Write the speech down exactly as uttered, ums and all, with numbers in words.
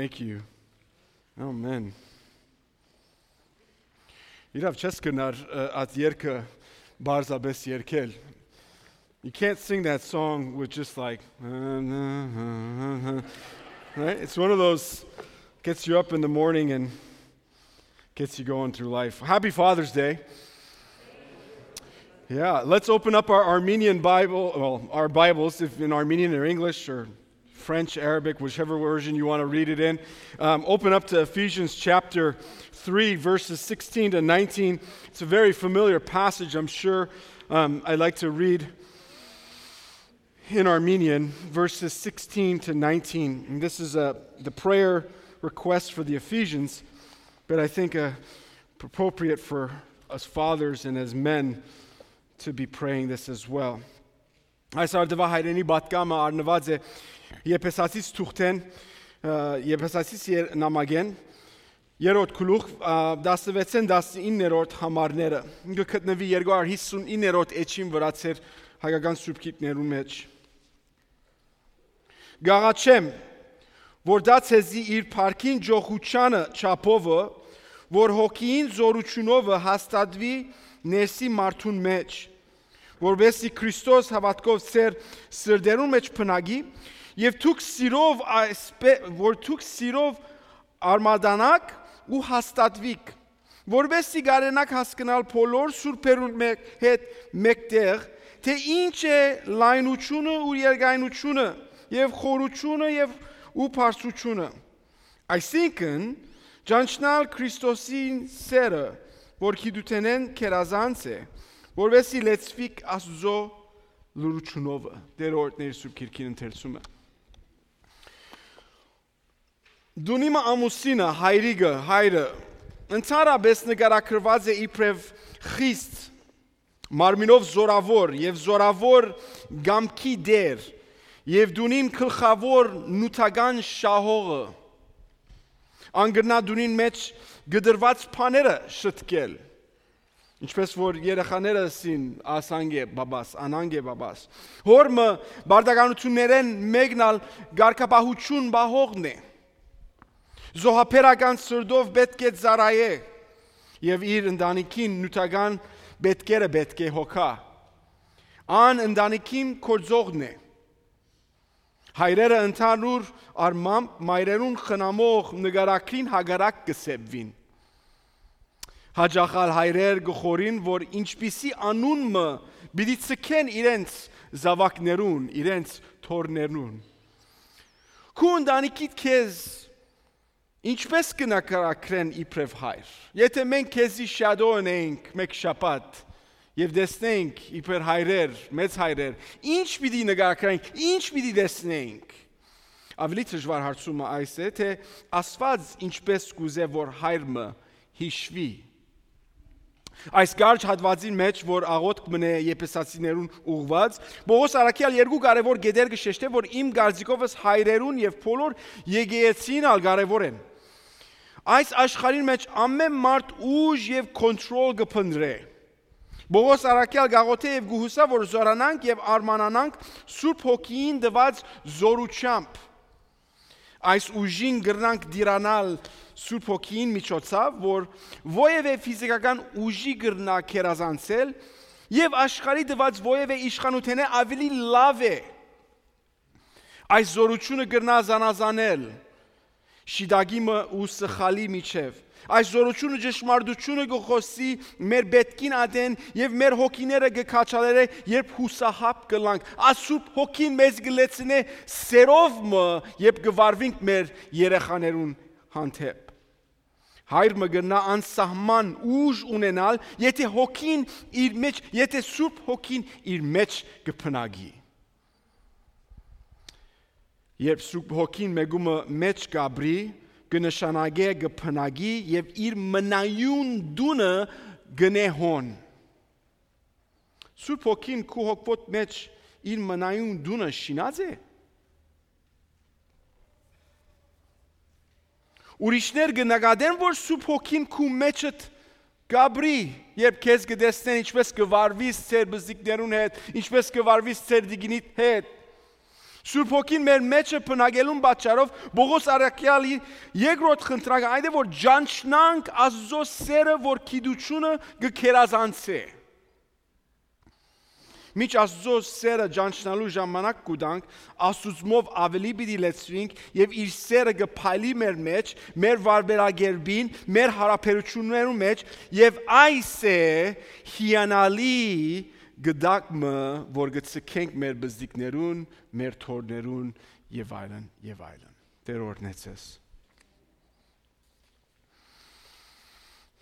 Thank you. Amen. Իրավ չես գնար at երգը բարձաբես երգել. You can't sing that song with just like right? It's one of those gets you up in the morning and gets you going through life. Happy Father's Day. Yeah, let's open up our Armenian Bible, well, our Bibles, if in Armenian or English or French, Arabic, whichever version you want to read it in. Um, open up to Ephesians chapter three, verses sixteen to nineteen. It's a very familiar passage, I'm sure. Um, I like to read in Armenian, verses sixteen to nineteen. And this is uh, the prayer request for the Ephesians, but I think uh, appropriate for us fathers and as men to be praying this as well. Այս արդվա հայրենի բատկամը արնված է Եփեսացիս թուղթեն Եփեսացիս նամակեն երրորդ գլուխ տասնվեցն տասնիններորդ համարները ինքը գտնվի երկու հարյուր հիսունիններորդ էջին վրա ցեր հայկական սուրբքիներու մեջ Գաղաչեմ որ դա ցեզի իր парքին ջոխուչանը չափովը որ հոգին զորությունով հաստատվի ներսի մարդուն մեջ որովհետեւ Քրիստոս հավատքով ծեր սրդերուն մեջ փնագի եւ դուք սիրով որ դուք սիրով արմադանակ ու հաստատվիք որովհետեւ գարենակ հասկանալ բոլոր սուրբերուն հետ մեկտեղ թե ինչ է լայնությունը ու երկայնությունը եւ խորությունը եւ ու բարձրությունը այսինքն ճանչնալ Քրիստոսին սերը որ գիտութենեն կերազանց է որովհետեւ լեցվիկ Աստծո լուրությունով դերորդներ սուրբ քիրքին ընթերցումը Դունիմը ամուսինը հայրիկը հայրը ընդհանրապես նկարագրված է իբրև խիստ մարմինով զորավոր եւ զորավոր գամքի դեր եւ դունին գլխավոր նութական շահողը անգրնա դունին մեջ գդրված բաները շտկել ինչպես որ երեխաները սին ասանգե բաբաս անանգե բաբաս հորմը բարդականություններեն մեկնալ գարկապահություն բահողն է զոհապերական սրդով պետք է ծարայե եւ իր ընտանիքին նյութական պետքերը պետք է հոգա ան ընտանիքին կորձողն է հայրերը ընդհանուր արմամբ մայրերուն խնամող նգարակրին հագարակ կսեբվին Հաջախալ հայրեր գխորին, որ ինչպիսի անունը բիդի ցկեն իրենց զավակներուն, իրենց թորներուն։ Քու ընտանիքիդ քեզ ինչպես կնկարագրեն իբրև հայր։ Եթե մենք քեզի շադոն ենք մեկ շաբաթ եւ դեսնենք իբր հայրեր, մեծ հայրեր, ինչ պիտի նկարագրենք, ինչ պիտի դեսնենք։ Ավելի դժվար հարցումը այս է, թե Աստված ինչպես կուզե որ հայրը հիշվի Այս գարջ հատվածին մեջ, որ աղոթք մնե եփեսացիներուն ուղված, Պողոս Արաքյալ երկու կարևոր գեդեր գշեշտե, որ իմ գարձիկովս հայրերուն եւ բոլոր եկեղեցին ալ կարևոր են։ Այս աշխարհին մեջ ամեն մարդ ուժ եւ կոնտրոլ կփնտրե։ Պողոս Արաքյալ գաղոթե եւ գուհուսա, որ զորանանք եւ արմանանանք Սուրբ Հոգին դված զորությամբ։ Այս ուժին գրնանք դիրանալ Սուրբ Հոգին միջոցով, որ ովևէ ֆիզիկական ուժի գրնա կերազանցել եւ աշխարհի դված ովևէ իշխանութենը ավելի լավ է։ Այս զորությունը գրնա զանազանել շիդագիմը ու սխալի միջև։ Այս զորությունը ճշմարտությունը գխոսի մեր պետքին ադեն եւ մեր հոգիները գքաչալերը երբ հուսահապ կլանք։ Ասուրբ հոգին մեզ գլեցնե սերով մը երբ գվարվինք մեր երեխաներուն հանդեպ։ Հայրը գնա անսահման ուժ ունենալ, եթե հոգին իր մեջ, եթե Սուրբ Հոգին իր մեջ կփնագի։ Երբ Սուրբ Հոգին մեգումը մեջ գաբրի, կնշանակե կփնագի եւ իր մնայուն դունը գնե հոն։ Սուրբ Հոգին քու հոգվոտ մեջ իր մնայուն դունը շինած է։ Ուրիշներ կնկատեն, որ Սուրբ Հոգին քու մեջդ գաբրի, երբ քեզ կտեսնեն ինչպես կվարվիս ծեր բզիկներուն հետ, ինչպես կվարվիս ծեր դիգինիդ հետ։ Սուրբ Հոգին մեր մեջը բնագելուն պատճառով Պողոս առաքյալի երկրորդ խնդրակը այն է, որ ճանչնանք Աստծո սերը, որ գիտությունը կգերազանցե։ Միջ Աստծո սերը ճանչնալու ժամանակ կուտանք, Աստուծմով ավելի պիտի լեցվենք եւ իր սերը կփայլի մեր մեջ, մեր վարվերագերբին, մեր հարաբերություններու մեջ եւ այս է հիանալի գդակը, որ գցկենք մեր բզդիկներուն, մեր թորներուն եւ այլն եւ այլն։ Տեր օրհնեցես։